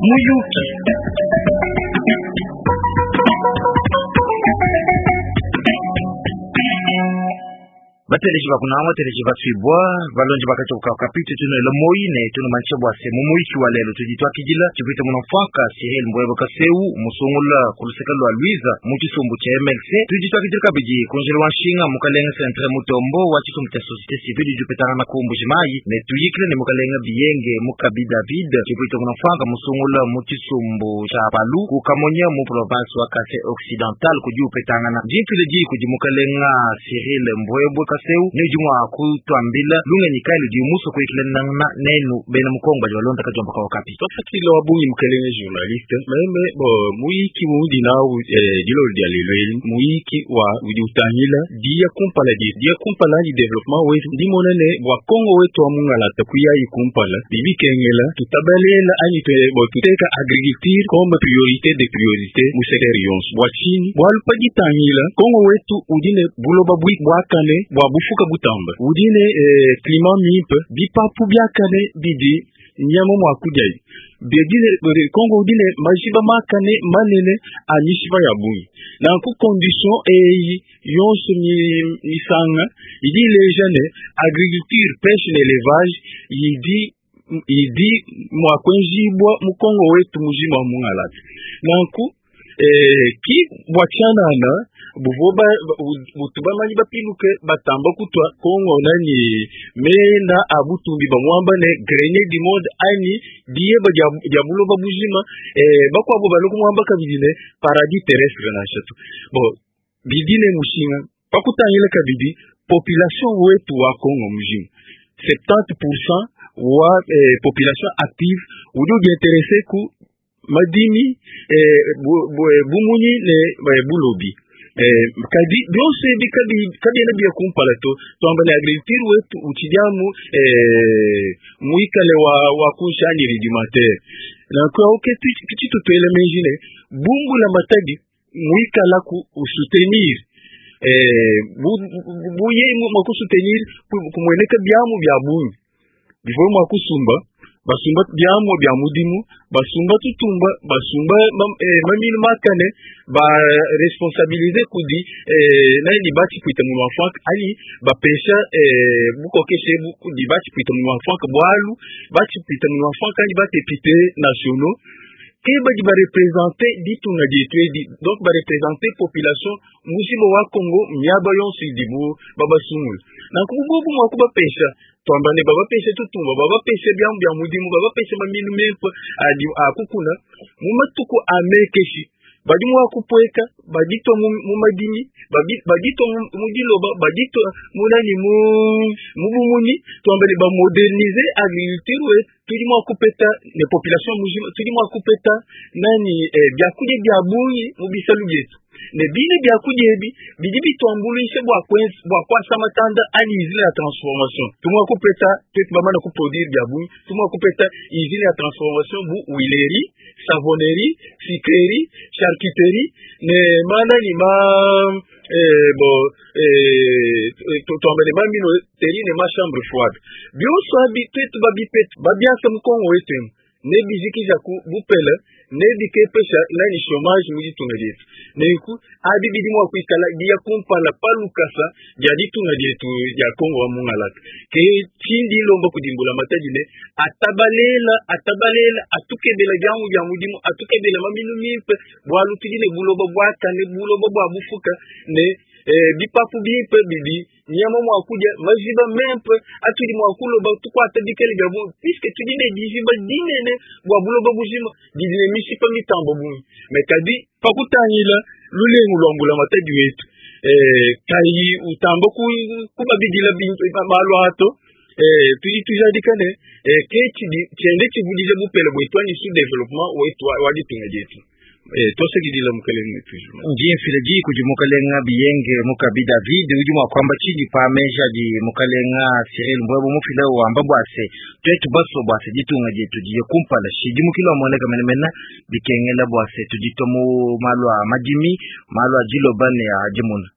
Muyuki. Bateleji ba kunanga, bateleji basuibua, balonji ba katupa ka kapitu tunuela moyi ne tunumanisha bua se mu muyiki wa lelu tudi tuakidila tshipwita muna mfuanka Cyril Mbwebo Kaseu musungula ku luseke lua Luiza mu tshisumbu tshia MLC. Tudi tuakidila kabidi ku njila wa nshinga mukalenga Centre Mutombo wa tshisumbu tshia societe civile udi upetangana ku Mbuji Mayi ne tuyikila ne mukalenga Biyenge Mukabi David tshipwita muna mfuanka musungula mu tshisumbu tshia Palu ku Kamonya mu province wa Kasai Occidental kudi upetangana. Ndi mfila diyi kudi mukalenga Cyril Mbwebwe Kaseu ne udi mua kutuambila lungenyi kayi ludi musue kuyikila nenu bena mu Kongo badi balonda kadiomba ka Okapi. Tuasakidila wa bungi mukelenge journaliste. Meme bo muyiki undi nawu dilolo dia lelu eli muyiki wa udi utangila diya kumpala dietu, diya kumpala anyi developpement wetu. Ndi mona ne bua Kongo wetu wa mungalata kuyayi kumpala bidi bikengela tutabalela anyi bo tuteka agriculture comme priorite de priorite mu secteur yonso. Bua tshinyi? Bualu pa ditangila Kongo wetu udi ne buloba buakane bua bufuka butamba, udi ne climat mimpe, bipapu biakane bidi nyama mua kudiayi. Kongo udi ne majiba makane manene a mishipa ya bungi. Nanku condition eyi yonso misanga idi ileja ne agriculture, pêche ne élevage idi mua kuenjibua mu Kongo wetu mujima wa mungalata. Nanku ki bua tshianana buvua butu bamanyi bapiluke batamba kutua Kongo nani mena a butumbi bamuamba ne grenier du monde anyi diyeba dia buloba bujima, bakuabo balue kumuamba kabidi ne paradis terrestre nansha tu. Bon, bidi ne mushinga pakutangila kabidi population wetu wa Kongo mujima 70% wa population active udi udiinteresse ku madimi, bumunyi ne bulobi. Kadi byonso ebi kabiena bia kumpala to. Tuamba ne agriculture wetu utshidi amu muikale wa kunshi anyi rudimentaire. Nanku awu ke tshitutuela meji ne bumbula matadi muikala ku soutenir, buye mua kusoutenir kumueneka biamu bia bungi bivua mua kusumba, basumba biamu bia mudimu, basumba tutumba, basumba maminu makane, ba responsabiliser kudi nani batshipwita mu mafuaka anyi bapesha bukokeshe bu kudi batshipwita mu mafuaka, bualu batshipwita mu mafuaka anyi ba député nationaux ke badi ba représenter ditunga dietu edi, donc ba représenter population mujima wa Congo miaba yonso idibu babasungula. Nanku bubu mua kubapesha tuamba ne babapeshe tutumba, babapeshe biamu bia mudimu, babapeshe maminu mempe adi akukuna mu matuku a mekeshi, badi mua kupueka, baditwa mu madimi, baditwa mu diloba, baditwa mu nani, mu bumunyi, tuamba ne bamoderniser agriculture we, tudi mua kupeta ne population mujima, tudi mua kupeta nani, biakudia bia bungi mu bisalu bietu. Ne bine biakudia ebi bidi bituambuluisha bua kuasa matanda anyi usine ya transformation. Tumua kupeta twetu bamana kuproduire bia bungi, tumua kupeta usine ya transformation bu huilerie, savonnerie, sucrerie, charcuterie ne manani ma, bo, tuamba ne ma minoterie ne ma chambre froide. Bionso abi twetu babipeta babiasa mu Kongo wetu emu, ne bijikija ku bupele, ne bikepesha nani chômage mu ditunga dietu. Nenku abi bidi mua kuikala dia kumpala pa lukasa dia ditunga dietu dia Kongo wa mungalata. Ke tshindi lomba kudimbula matadi ne atabalela, atabalela, atukebela diamu dia mudimu, atukebela maminu mimpe, bualu tudi ne buloba buakane, buloba bua bufuka ne bipapu bimpe bidi nyama mua kudia, majiba mempe atudi mua kuloba tukuata bikele bia bungi, puisque tudi ne dijiba dinene bua buloba bujima didi ne mishipa mitambo bungi. Me kadi pakutangila lulengu lwa mbula matadi wetu, kayi utamba kubabidila malu ato, tudi tujadika ne, ke tshidi tshiende tshivudija bupele bwetu anyi sous développement wetu wa ditunga dietu. Tuasakidila mukelenge toujours. Ndi mfila diyi kudi mukelenga Biyenge Mukabi David udi mua kuamba tshinyi pa meji adi mukelenga Cyril Mbwebo mufile wamba bua se twetu baso bua se ditunga dietu diye kumpala shidimukilo amoneka menemene bikengela bua se tuditwa mu malu a madimi, malu a diloba ne a dimuna.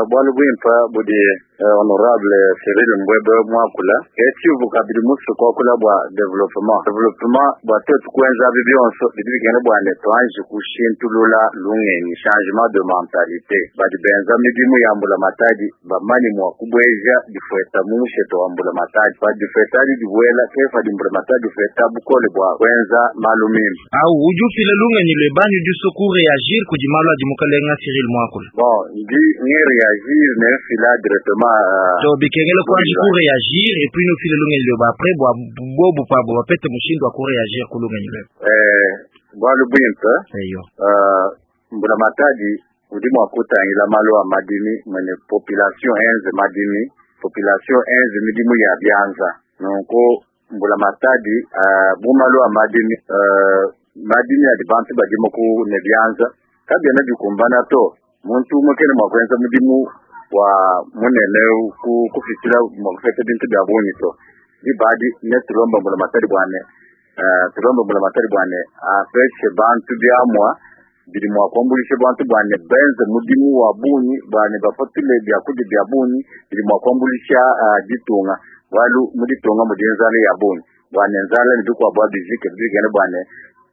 Bualu buimpa budi Honorable Cyril Mbwebe mwakula ecivu kabidi musu kwakula bwa development development bwa twetu kwenza abi byonso bidi bigenda bwane twanji kushintulula lungenyi changement de mentalité badi benza midimu ya mbula matadi bamani mwa kubweja difweta mu musheto wa mbula matadi badifweta adi dibwela kefa di mbula matadi fweta bukole bwa kwenza malu mimpe. Au udi ufila lungenyi lwebani udi usua kureagir kudi malu adi mukalenga Cyril mwakula. Bon, ndi ngi réagir ne mfila directement To bikengela kwanji kureagir et puis nufile lungenyi lweba après bwa bobu pabo bapete mushindu wa kureagir ku lungenyi lweba. Bwalu bwimpe. Eyo. Mbula matadi udi mwa kutangila malu a madimi mwene population enze madimi population enze midimu ya byanza nunku mbula matadi bu malu a madimi madimi adi bantu badimo ku ne byanza kabyena bikumbana to muntu umwe kene mwa kwenza mudimu wa munene ku kufitila mwa kufeta bintu bya bungi to dibadi ne tulomba mbula matadi bwane tulomba mbula matadi bwane apeshe bantu byamwa bidi mwa kuambulisha bantu bwane benze mudimu wa bungi bwane bapatule byakudia bya bungi bidi mwa kuambulisha ditunga walu muditunga mudi nzala ya bungi bwane nzala ni bikuabo bizike bigene bwane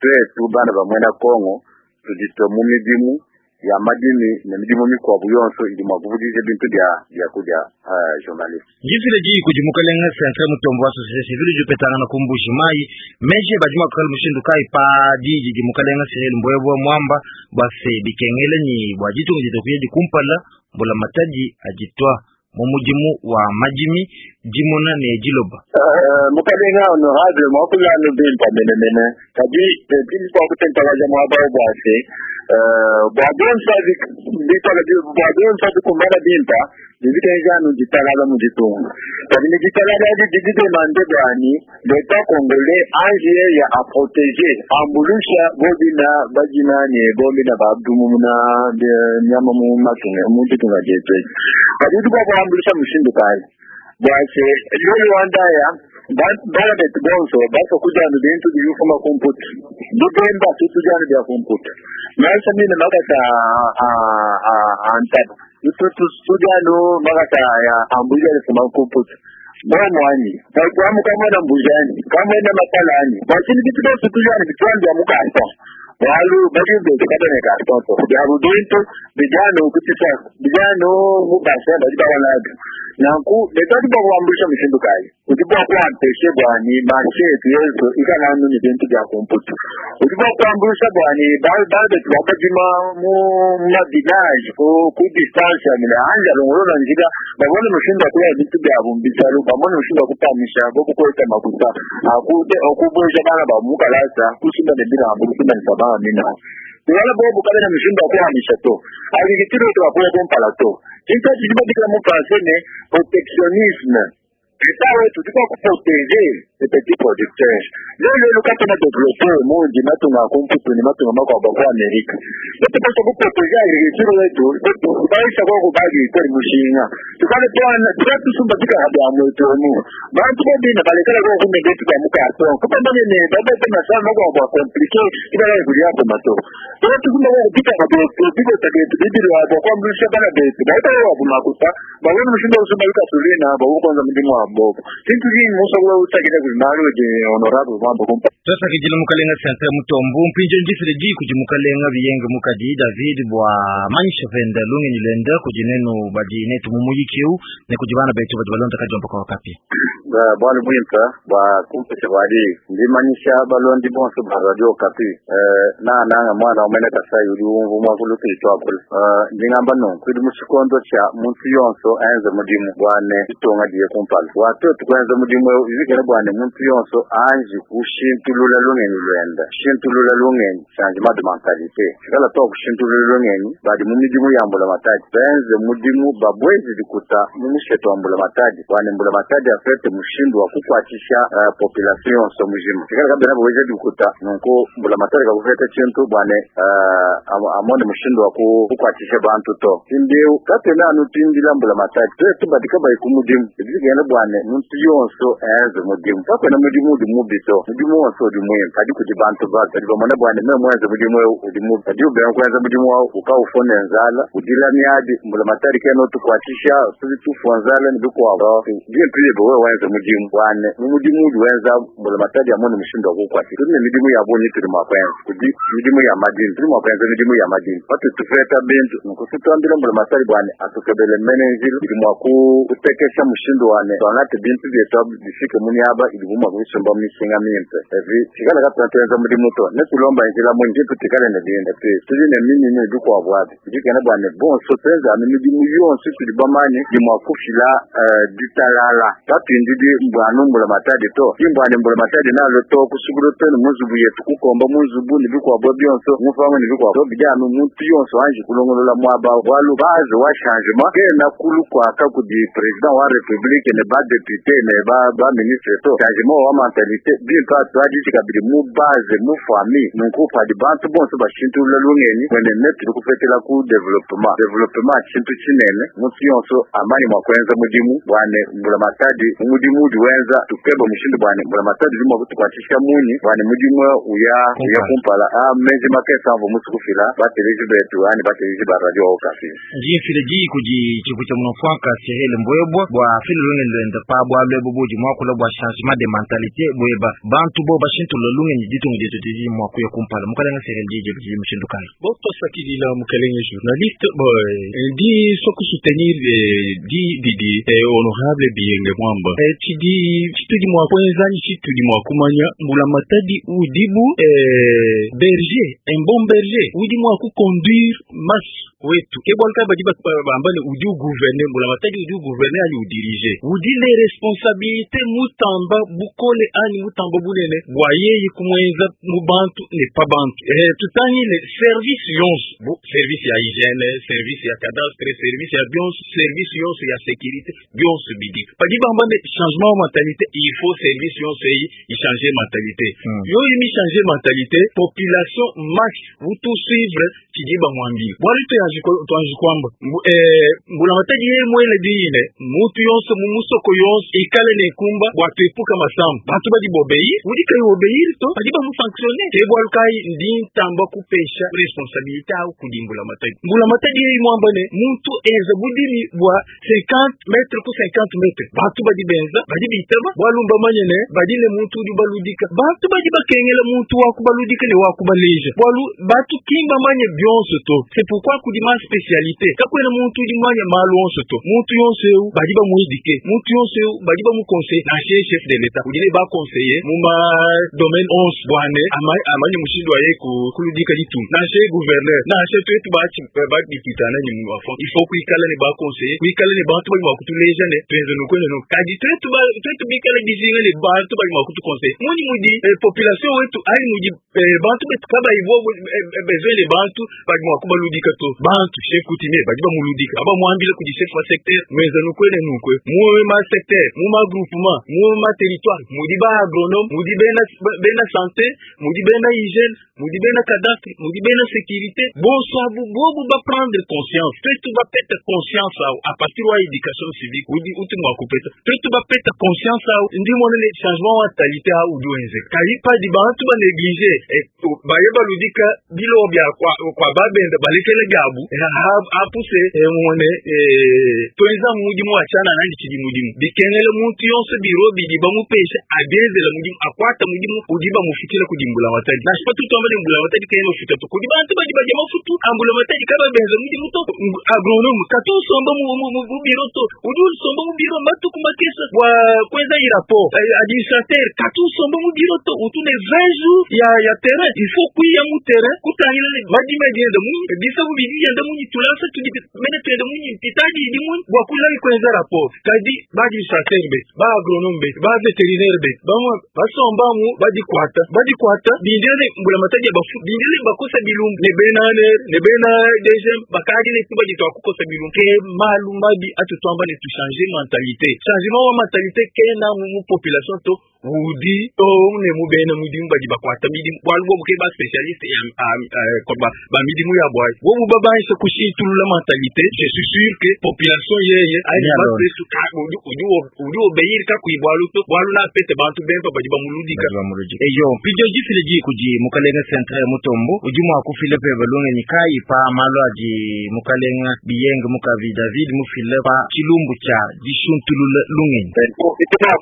twetu bana ba mwena Kongo tuditwe mu midimu ya madimi ne midimu mikuabo yonso idi mwa kuvudisha bintu bya byakudia journaliste. Ngifile diyi kudi mukalenga Centre Mutombo wa société civile udi upetangana ku Mbuji Mayi meji badi mua kukala mushindu kayi pa diyi didi mukalenga Cyril Mbwebwe mwamba bua se bikengela ni bua ditunga dietu kuya dikumpala mbula matadi aditwa mu mudimu wa madimi dimona ne diloba. Mukalenga honorable mwakulanu bimpa menemene kadi tili kwa kutentakaja mwaba bwase bwa bonso bikala bwa bonso bikumbana bimpa bibitenjanu ditalala mu ditunga kadi ni ditalala adi didi demande bwani l'État congolais ange ya a protéger ambulusha bobina bajina ne bobina babdumuna nyama mu matunga mu ditunga dietu kadi udi bwa kuambulusha mushindu kayi bwase lolo wandaya bana betu bonso baso kujana bintu biyufuma kumputu bibemba tutujana bya kumputu naisa mine makata antaba tutujano makata ya ambuja lifuma kumputu bomwani baikwamu kamwena mbujani kamwena matalani bwachini bitu bonso tujana bitwambya mukasa walu bali kabene kartoto byabu bintu bijano kutisa bijano mubasa bali bawalaga nanku betati bwakuambusha mushindu kayi udi bwakuampeshe bwani marshe yetu yezo ikalanu ni bintu bya kumputu udi bwakuambusha bwani babetu bakajima mu mavilaje ku distance ya mile anja longolola njika babone mushindu akuya bintu byabu mbisalo babone mushindu akupamisha bokukweta makuta akute okubwesha bana bamukalasa kusumba ne bilambo kusumba ne sabana mina wala bobu kabena mushindu akuhamisha to agriculture yetu akuya kumpala to kintu chidibadikira mu français ne protectionnisme L'État wetu tuko kuprotéger les petits producteurs. Leo leo kati na développer mundi matunga kumputu ni matunga mako kwa Amerika. Yetu pesa kuprotéger agriculture wetu, kubaisha kwa kubagi kwa mushinga. Tukale pwana tukatusumba tika habya mwetu mu. Bantu bobina balekala kwa kumende tuka mukato. Kupamba ne baba tena sana kwa kwa compliqué ibala kulia kwa mato. Yetu tusumba kwa kupita kwa biko tagetu bibiri wa kwa mlisha bana betu. Baita wa kumakuta, babona mushinga usumba ikatulina bawo kwanza mdimu wa bobo. Kintu kingi musa kula utakita kulimalo je honorable mambo kumpa. Twasakidila mukalenga Centre Mutombo mpinjo ndifile diyi kudi mukalenga biyenge mukadi David bwa manyisha venda lungenyi lwenda kudi nenu badi netu mu muyiki eu ne kudi bana betu badi balonda kadiomba kwa Okapi. Bwalu bwimpe bwa kumpesha bwadi ndimanyisha balondi bonso ba radio Okapi nananga mwana umene Kasai udi umvu mwakulu tuitwakula ndingamba nunku idi muchikondo cha muntu yonso enze mudimu bwane ditunga diye kumpala watoto kwenza mudimu eu ivikele bwane muntu yonso anji kushintulula lungenyi lwenda shintulula lungenyi changement de mentalité shikala to kushintulula lungenyi badi mu midimu ya mbula matadi benze mudimu babwezi dikuta mu musheto wa mbula matadi bwane mbula matadi afete mushindu wa kukwatisha population yonso mujima shikala kabena bwezi dikuta nunku mbula matadi kakufete chintu bwane amone mushindu wa kukwatisha bantu to tindeu katena anu tindila mbula matadi twetu badika bayi ku mudimu ibigenda bwane muntu yonso enze mudimu kakwena mudimu udi mubi to mudimu wonso Yonso udi muimpe kadi kudi bantu babi badi bamona bua ne, meme muenze mudimu eu udi mubi. Padiye ubenga kuenza mudimu au, uka ufua ne nzala, udila miadi, mbulamatadi kena utukuatshisha, tudi tufua nzala ne bikuabu. Bimpe biebe wewe wenze mudimu bua ne, mu mudimu udi wenza mbulamatadi amone mushindu wa kukuatshisha. Tudi ne midimu ya bungi itudi mua kuenza. Kudi midimu ya madimi, tudi mua kuenza midimu ya madimi patudi tupeta bintu. Nunku tuambile mbulamatadi bua ne, atukebele mene njila idi mua kutekesha mushindu wa ne, tuangate bintu bietu abi bifike mu miaba idibu mua kubisumba mu mishinga mimpe. Epi tikale katuena tuenza mudimu to, ne tulomba njila munyi bimpe tuikale ne bintu. Epi tudi ne minyinyi ne bikuabu abi bidi bua ne, bonso tuenze anu midimu yonso itudi bamanye idi mua kufila ditalala. Katuindidi anu mbulamatadi to, ki mbua ne mbulamatadi nalo to kusukula to ne mu nzubu yetu, kukomba mu nzubu ne bikuabu bionso, mupangu ne bikuabu to, bidi anu muntu yonso anji kulongolola muaba, bualu base wa changement kena kulu kuaka kudi président wa république ne ba député ne ba ministre to. Changement wa mentalité bimpe atuadiji kabidi mu base, mu famille. Nunku padi bantu bonso bashintulula lungenyi mwene ne tudi kupetela ku développement. Développement tshintu tshinene, muntu yonso amanye mua kuenza mudimu bua ne mbulamatadi mu mudimu udi wenza tukeba mushindu bua ne mbulamatadi udi mua kutukuatshisha munyi bua ne mudimu uya uya kumpala. A meji makese amvua musu kufila bateleji betu ani bateleji ba Radio Okapi. Ndi mfile diyi kudi tshipu tshia munofwanka Cyril Mbwebwa bua file lungenyi luende pa bualu ebu budi muakula bua changement de mentalité bweba bantu bo bashintulula lungenyi, ditunga dietu didi mua kuya kumpala. Mukalenga Cyril, diyi diebe didi mushindu kayi? Bo, twasakidila mukalenge journaliste. Bo, ndi so kusoutenir di didi honorable Biyenge Mwamba. Tshidi tshitudi mua kuenza ni tshitudi mua kumanya mbulamatadi udibu berger, un bon berger udi mua kuconduire masse wetu. Ke bualu kayi badi bamba ne udi ugouverne, mbulamatadi udi ugouverne ani udirige, udi ne responsabilité mutamba bukole ani mutamba bunene bua yeye kumuenza mu bantu ne pa bantu. Tutangile service yonso, bu service ya hygiène, service ya cadastre, service ya bionso, service yonso ya sécurité, bionso bidi padi bamba ne changement wa mentalité, il faut service yonso eyi ichanger mentalité. Yo imi changer mentalité, population masse utu suivre tshidi bamwambila, bualu tuanji kwamba mbulamatadi ye mwele diine mutu yonso mu musoko yonso ikale ne kumba bua tuepuka masambu, bantu badi bobéir, udi kayi obéir to badi bamusanctionne. Ke bualu kayi ndi ntamba kupesha responsabilité au kudi mbulamatadi. Mbulamatadi ye mwamba ne muntu enza budimi bua 50 mètres ku 50 mètres, bantu badi benza, badi bitaba, bualu mbamanye ne badi ne muntu udi baludika. Bantu badi bakengela muntu wa kubaludika ne wa kubaleja, bualu bantu kimba manye bionso to. C'est pourquoi kudi ma spécialité, kakwena muntu udi manye malu onso to. Muntu yonso eu badi bamuéduquer, muntu yonso eu badi bamuconseiller. Nansha chef de l'État udi ne baconseiller mu ma domaine onso bua ne amanye mushindu wa ye kuludika ditunga. Nansha gouverneur, nansha twetu badipitana ni mu bafo, il faut kuikala ne baconseiller, kuikala ne bantu badi mua kutuleja ne tuenze nuku ne nuku. Kadi twetu bikale dijinga ne bantu badi mua kutuconseiller muni mudi population wetu ayi mudi bantu betu kabayi bobo besoin ne bantu badi mua kubaludika to. Bantu chef coutumier badi bamuludika, abamuambile kudi chef wa secteur muenze nuku ne nuku, mu ma secteur, mu ma groupement, mu ma territoire mudi ba agronome, mudi bena santé, mudi bena hygiène, mudi bena cadastre, mudi bena sécurité. Bonso abu bobu ba prendre conscience, twetu bapeta conscience au à partir wa éducation civique udi uti mua kupeta, twetu bapeta conscience au ndi mona ne changement wa mentalité au udi wenzeka. Kadi padi bantu ba néglige, baye baludika bilo bia kwa babenda balekele byabu apuse mone twenza mudimu achana nandi tshidi mudimu bikengele muntu yonso biro bidi bamupesha abienzela mudimu, akwata mudimu udi bamufikila kudi mbulamatadi. Nansha patu tuamba ne mbulamatadi kena mafuta to, kudi bantu badi badia mafutu ambulamatadi kaba benza mudimu to. Agronome katu usomba mu biro to, udi usomba mu biro matuku makesa bua kuenza i rapport. Administrateur katu usomba mu biro to, utu ne 20 jours ya terrain, il faut kuya mu terrain kutangila ne madimi adienda munyi, bisabu bidi yenda munyi, tulasa tudi mene tuenda munyi, pitadi idi munyi bua kulali kuenza rapport. Kadi ba administrateur be, ba agronome be, ba vétérinaire be, bamwe basombamu badikwata badikwata bindele mbulamatadi ya bafu, bindele bakosa bilumbu ne bena ANR ne bena DGM bakadi ne tuba ditwa kukosa bilumbu. Ke malu mabi atutwamba ne tuchanger mentalité, changement wa mentalité kena mu population to. Udi too ne mu bena mudimu badi bakuata midimu, bualu bobu ke ba spécialiste ya ba midimu yabu ayi. Bobu babangisha kushintulula mentalité, je suis sûr que population yeye ayi udi obéir kakuyi bualu to, bualu napete bantu bempe badi bamuludika. Eyo mpidio difile diyi kudi mukalenga Centre Mutombo, udi mua kufila pebe lungenyi kayi pa malu adi mukalenga Biyenge Mukavi David mufile pa tshilumbu tshia dishuntulula lungenyi?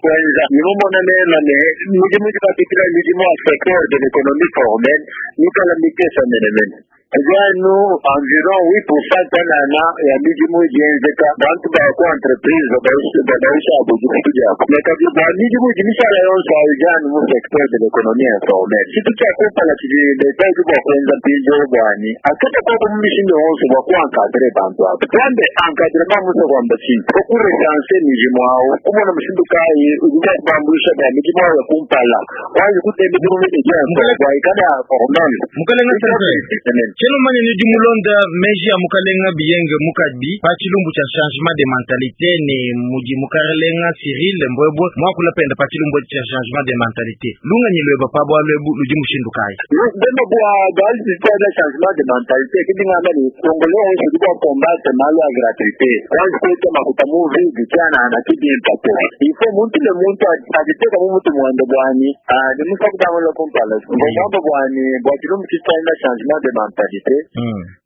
Kwenza nimumona mema ne midimu dipapitila midimu ya secteur de l'économie formelle mikala mikesa menemene anu environ 8% tanana ya midimu idienzeka bantu ba ku entreprise babaisha abo difutu diabo, me kadi bua midimu idi mishala yonso ayo idi anu mu secteur de l'économie informelle. Tshintu tshia kumpala tshidi leta udi bua kuenza mpindieu buani akata koko mu mishindu yonso bua kuencadrer bantu abo. Tuambe encadrement musa kuamba tshinyi? Okurecenser midimu awu, kumona mushindu kayi udi bua kubambuisha bua midimu awu ya kumpala wanji kutembe midimu idi bua ikale formel. Mukalenga Centre, tshiena manya ni dimulonda meji ya mukalenga Biyenge Mukabi pa tshilumbu tshia changement de mentalité ne mudi mukalenga Cyril Mbwebwe muakula penda pa tshilumbu tshia changement de mentalité. Lungenyi lueba pa bualu ebu ludi mushindu kayi? Bema bua bualu bua changement de mentalité kidi ngamba ni Congolais onso udi bua combattre malu a gratuité wanji kuita makuta mu vide tshiana na kibimpa to. Il faut muntu ne muntu aditeka mu mutu muende buani ni musa kubangula kumpala ngomba buani bua tshilumbu tshitshia changement de mentalité.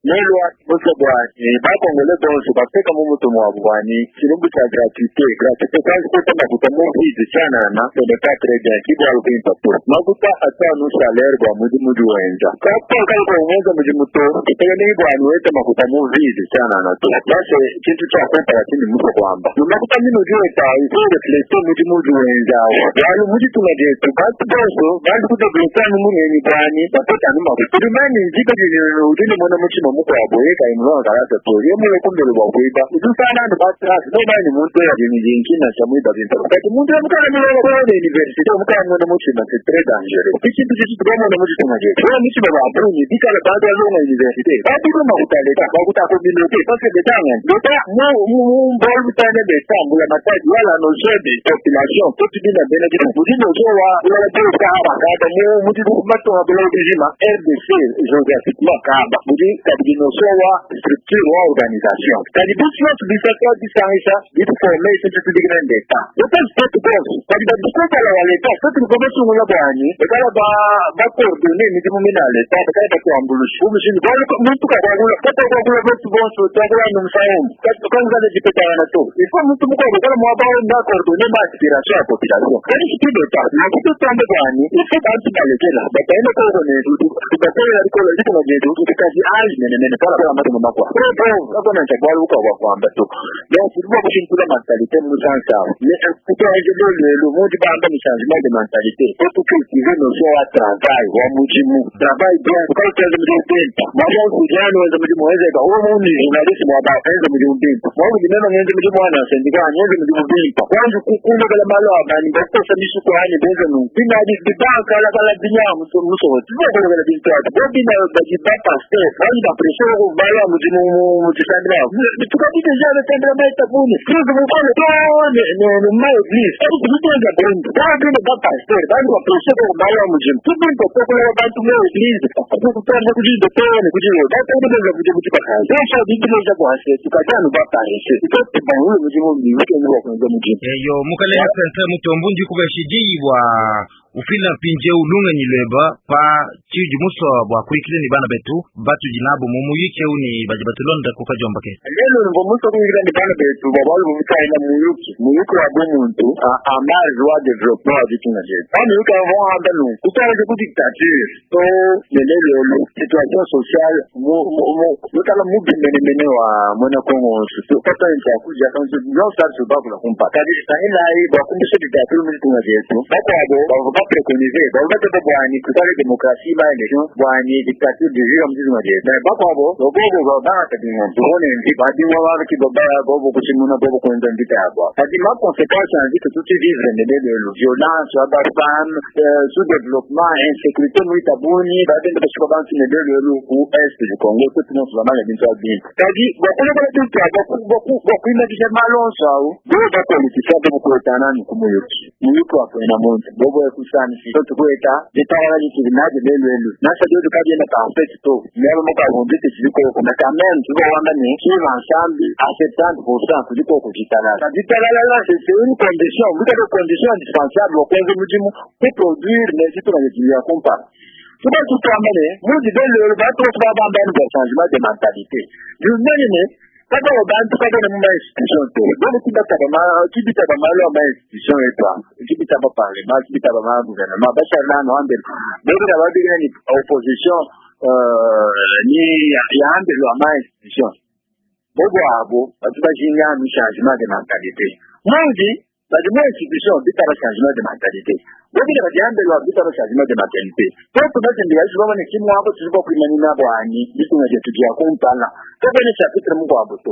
Nelwa musa bwani bakongole bonso bateka mu mutu mwabu bwani tshilumbu tshia gratuité gratuité kwanza kuta makuta mu vide tshianana ce n'est pas très bien kibwalu bimpa to makuta atanu salaire bwa mudimu udi wenza kapa kali kuwenza mudimu to itegemei bwani wete makuta mu vide tshianana to basi tshintu tshia kumpala tshindi musa kuamba makuta mino udi weta il faut refléter mudimu udi wenza bualu muditunga dietu bantu bonso bantu kudévelopper anu mungenyi bwani bapeta anu makuta tudimani nzika udi ne mona muchima mukwabo yeka imulonga kalasa to ye mule kumbele bwa kuiba udusana anu batrasi no bani muntu ya jinjina cha muiba bintu kati muntu yamukana mulonga kwa university omukana mona muchima c'est très dangereux ikintu chichi tukamona muchitunga chetu oyo muchima ba bruni bikala bantu balonga université batuluma kutaleta bakuta communauté parce que betanga beta mu mu mbolu butane beta mbula matadi wala notion de population totubina bena kitu udi notion wa ulala tuka haba kada mu muti matonga bula ubijima RDC géographiquement kaba budi kabidi notion wa structure wa organisation kadi bitu yonso bisaka bisangisha bituforme isintu tudikina ndeta leta state bonso kadi badikopala wa leta soki likobesungula bwani bekala bacoordonner midimu mina leta bekala batuambulusha umushindu muntu kakwakula kata kwakula betu bonso twakula nomusaomu kanzale dipetana to il faut muntu mukwabo kala mwaba onda coordonner ma aspiration ya population kadi sipi leta nakitutambe bwani il faut bantu balekela bataende kokone tubakolela likola litunga lyetu tukazi ayi menemene pala pala matunga makwa akona ncha bwalu kwa kwamba to donc tuba kushintula mentalité musansa mais kutoaje lelo mundi bamba ni changement de mentalité faut cultiver notion ya travail wa mujimu travail bien ukaitenza mujimu bimpa mwaja usijani wenza mujimu wezeka uwo muni journaliste mwaba enza mujimu bimpa mwabu dimema ngenze mujimu wana sendika ngenze mujimu bimpa kwanza kukunda kala malo abani bakosa misuko hani benza nu bina di bibanka la kala binya muso muso tuba kala bintu bobina baji ba pasteur bani ba pression ko bala mujimu mutisandra tukati deja le tendra meta puni crise mukole to ne ne ma église ari kutenza brundu ba bina ba pasteur bani ba pression ko bala mujimu tubinto ko ko bantu mu église kutanda kujindo to ne kujindo ba to benza kujimu tikakaza besha bibileja bwase tukajana ba parese itote bangu mujimu ni wike ngo mujimu. Eyo mukalenga Centre Mutombo ndi kubashidibwa ufila mpinje ulungenyi lweba pa chiji muso bwa kuikile ni bana betu batu jinabo mumuyike uni baji batulonda kukajomba ke lelo ngo muso kuikile ni bana betu babalu mutaina muyuki muyuki wa bomuntu a marge wa développement wa ditunga jetu ba muyuki wa handa nu kutala ku dictature to lelo situation sociale mu mu mutala mubimene mene wa mwana Kongo to kata ncha kuja kanzu no sa su bakula kumpa kadi sa ila yi ba kumbisha dictature mu ditunga jetu bakwabo ba bapréconiser bavua bwani kuikale démocratie ba élection bwani dictature du juge mzizi mwadie mais bakwabo bobo bangata bingo tuone mvi badingwa babiki bobo kuchimuna bobo kuenza mvita yabo kadi ma conséquence ya mvita tuti vivre ndele violence ya ba femme, sous développement, insécurité muita buni babende bashuka bantu ndele ku est du Congo tout monde bamanya bintu abintu kadi bakule bala tuti bakuimagisha malonso awo bo bapolitisia bo bukuetana ni kumuyuki muyuki wakwena muntu bobo ekusani si tukueta ditawala litili naje lelwelu nasa dio tukabienda parfait to myalo mukavumbite chilikoko na quand même tukowamba ni suivre ensemble à 70% kuliko kujitalala kajitalalala c'est une condition mbika condition indispensable okwenza mujimu kuproduire nezitu na kumpala tuba tutwambane muzi belelo batu babambani bwa changement de mentalité junene kaka bantu kaka ne muma institution te bole kibitaba malo ama institution etwa kibitaba parlement, kibitaba ma gouvernement basharlano ambelo bobira babigina ni opposition ni yaambelo ama institution bobo abo batu bajinganu changement de mentalité muzi badi mu institution bitaba changement de mentalité bobile badiambelwa bitaba changement de mentalité toto batendela babone kimwabo tulibo kwimanina bwani bitunga je tugia kumpala tobene chapitre mukwabo to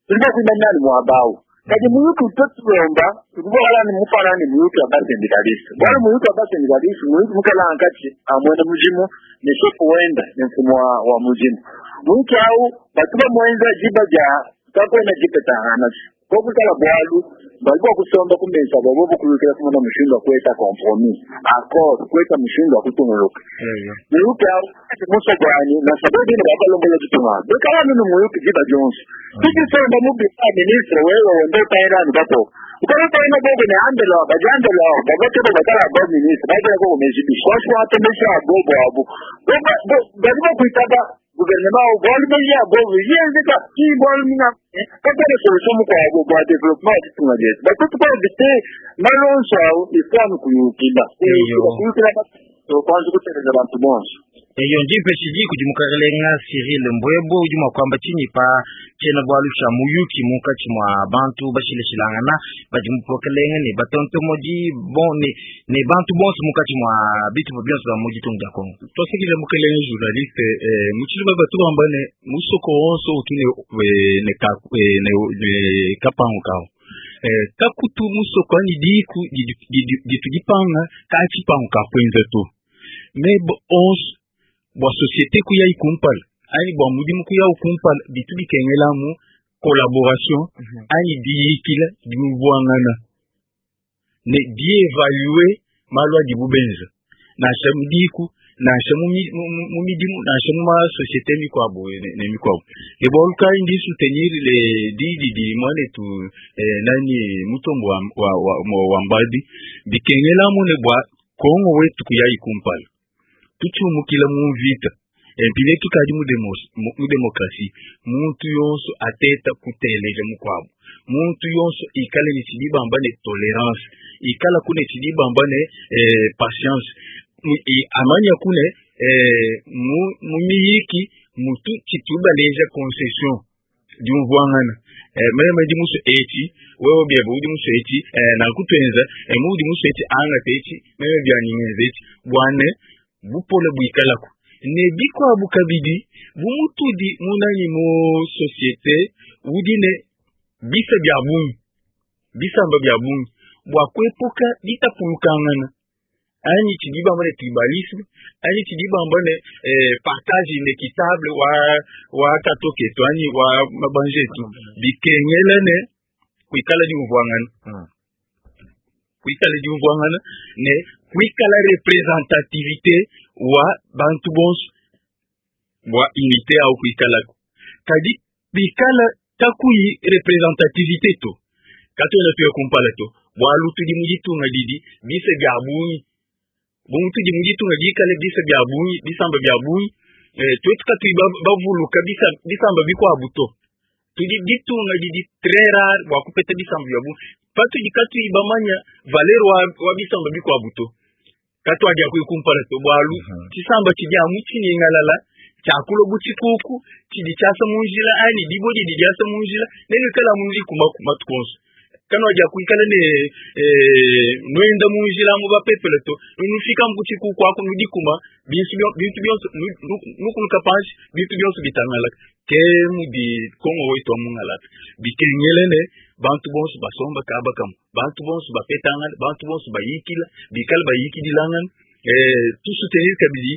tulibo kwimanina mwabawo kadi muyuki totulomba tukubola ni mufanani muyuki abasendikalisi bwali muyuki abasendikalisi muyuki mukala ankati amwene mujimu ni shefu wenda ni mfumo wa mujimu muyuki au batuba mwenza jiba ja kakwena jipetangana kokutala bwalu bali bwakusomba kumesa bwabo bukulukira kumona mushindu akweta compromis accord kweta mushindu akutunguluka muyuki au muso gwani na sababu ine babalombola tutunga bekala nunu muyuki jiba jonso tukisomba mubisa ministre wewe wende utaendani bako ukala bogo ne andela bajandela babateba bakala bo ministre bagera ko mezibisha kwashwa atemesha bobo abo bali bakwitaba gouvernement bwali beya bobo yenzeka ki bwali mina kakale solution mukwabo bwa développement tutunga jetu batutu kwa éviter malonso awo ifwanu kuyukila kuyukila kwanza kuteleza bantu bonso. Eyo ndimpe chidi kudimukarelenga Cyril Mbwebo udi mwakwamba chinyi pa chena bwalu cha muyuki munkatshi mwa bantu bashileshilangana badi mupokelenga ne batontomodi bon ne bantu bonso munkatshi mwa bitu bionso bya mu ditunga dia Congo. Twasekile mukelenge journaliste muchili batu bamba ne musoko wonso utu ne ne kapango kao kakutu musoko ani diku ditu dipanga ka chipango ka kwenza to mais onso bwa société kuya ikumpala ani bwa mudimu kuya ukumpala bitu bikengela mu collaboration ani diyikila dimubuangana ne dievaluer malu adi bubenza nansha mudiku nansha mu midimu nansha mu ma société mikwabo ne mikwabo e bwa lukai ndi soutenir le didi di mwanetu nani mutombo wa mbadi bikengela mu ne bwa Kongo wetu kuya ikumpala tuchumukila mu vita empile tukadi mu demokrasi muntu yonso ateta kuteleja mukwabo muntu yonso ikale ne tshidi bamba ne tolerance ikala kune tshidi bamba ne patience amanya kune mu miyiki mutu tshitubaleja concession diumvuangana meme ndi muso eti wewe byebe udi muso eti nankutwenza mudi muso eti angata eti meme byaningenza eti bwane bupole buikalako ne bikwabu kabidi bumutudi munanyi mu société udi ne bisa bya bungi bisamba bya bungi bwa kwepuka ditapulukangana anyi tshidi bamba ne tribalisme anyi tshidi bamba ne partage inéquitable wa katoketu anyi wa mabanjetu bikengela ne kuikala diumvuangana kuikala diumvuangana ne kuikala représentativité wa bantu bonso bwa unité au kuikalako kadi bikala takuyi représentativité to katwena tuya kumpala to bwalu tudi mu ditunga didi bisa bya bungi bungi tudi mu ditunga dikale bisa bya bungi bisamba bya bungi twetu katuyi bavuluka bisamba bikwabu to tudi ditunga didi très rare bwa kupeta bisamba bya bungi patudi katuyi bamanya valeur wa bisamba bikwabu to katwadia kuikumpala to bwalu tshisamba tshidi amu tshiningalala tshiakula bu tshikuku tshidi tshiasa mu njila ani dibo didi diasa mu njila nenu ikala mu njila matuku onso. Kanwa kuikala ne nwenda munjila mu bapepele to nufika mu kwaku nudikuma bintu byonso nukuluka panshi bintu byonso bitangalaka ke mudi Kongo wetu wa mungalata bikengele ne bantu bonso basomba kaba kamu bantu bonso bapetangana bantu bonso bayikila bikala bayikidilangana tusoutenir kabidi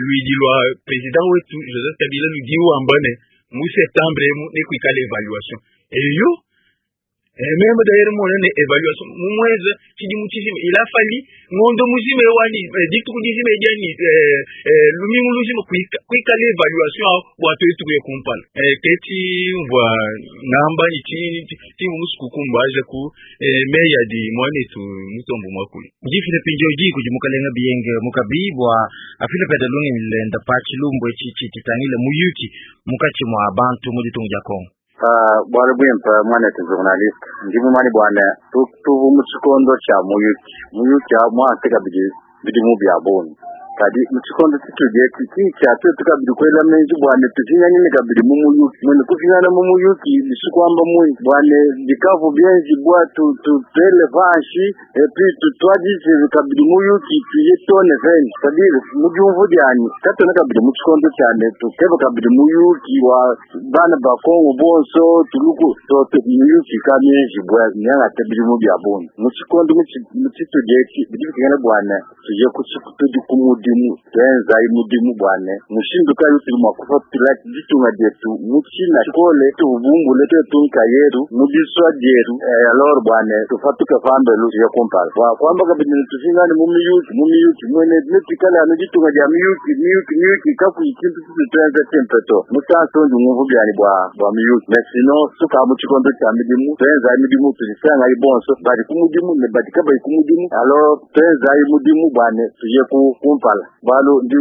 luidi lwa président wetu Joseph Kabila ludi wamba ne mu septembre nekuikala évaluation eyo. Même d'ailleurs monene évaluation mumweze chidimu chizima il a fallu ngondo muzima wani dituku dizima ediani lumingu luzima kuikala évaluation bwa twetu kuye kumpala keti mbwa ngamba ichi ti musuku kumbaja ku meya di mwanetu mutombo mwakuli jifile pinjo ji kudi mukalenga biyenge mukabi bwa afile peda lungi lenda pa chilumbu echi chitangile muyuki mukachi mwa bantu mu ditunga dia Kongo. Bwalo bwimpa mwanetu journaliste ndi mumani bwana tuvu mu tshikondo tsha muyuki muyuki mwase kabidi bidimu bya boni kadi mu tshikondo tshitudi etshi tsha twetu kabidi kwela menji bwane tufinyanyine kabidi mu muyuki mwene kufinyana mu muyuki bisikwamba mui bwane bikavu byenji bwa tutele vanshi epi tutwadise kabidi muyuki tuye tone veni sadire mubyumvu dyani katone kabidi mu tshikondo tshyane tukeba kabidi muyuki wa bana ba Kongo bonso tuluku toto muyuki kamyenji bwa nyangate bidimu bya boni mu tshikondo mu tshitudi etshi bidi bikengela bwane tuye tudi ku mudimu twenza imudimu bwane mushindu kayi tuli mwa kufatula ditunga dietu mutshina tshikole tubumbule twetunka yeru mudiswa dieru alors bwane tufatuke pambelu tuye kumpala bwa kwamba kabidi tufingane mu miyuki mwene netuikale anu ditunga dia miyuki miyuki miyuki kakuyi tshintu tutu twenza tshimpe to musanso ndi ngumvu byani bwa bwa miyuki mais sinon suka mu tshikondo tsha midimu twenza midimu tudisangayi bonso badi ku mudimu ne badi kabayi ku mudimu alors twenzayi mudimu bwane tuye ku kumpala bwalu ndi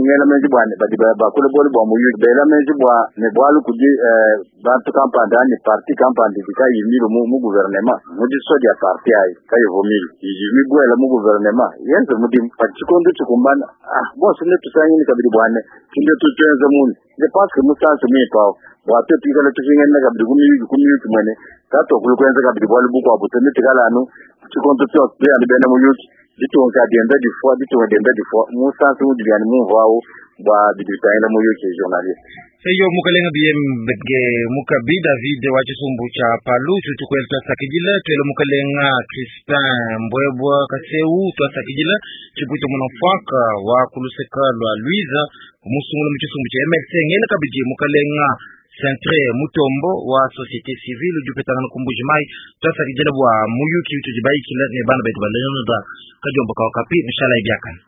ngela menji bwane badi bakule bole bwa muyuki bela menji bwa ne bwalu kudi bantu kampanda ani parti kampanda dikayimile mu gouvernement mudiswa dia parti ayi kayivumile ijimibwela mu gouvernement yenze mudimu padi tshikondo tshikumbana bonso ne tusangini kabidi bwane tinde tutwenze muni je pense que musansu mwipawo bwa twetu ikala tufingenena kabidi kumiyuki mwene katokulu kwenza kabidi bwalu bukwabu tene tikala anu tshikondo tshiyani bena muyuki ditunga dienda difua ditunga dienda difua musansu udi byani mumvawo bwa bidi bitangila muyuki journaliste. Eyo mukalenga biyenge mukabi David wa chisumbu cha Palu tutukwela twasakidila twele mukalenga Crispin Mbwebwa Kaseu twasakidila chiputo munofwaka wa kuluseka lwa Luiza musungula mu chisumbu cha MLC ngele kabidi mukalenga Centre Mutombo wa société civile udi upetangana ku Mbuji Mayi twasakidila bwa muyuki utudibayikila ne bana betu balenoda kadiomba kawakapi mishala ibiakana.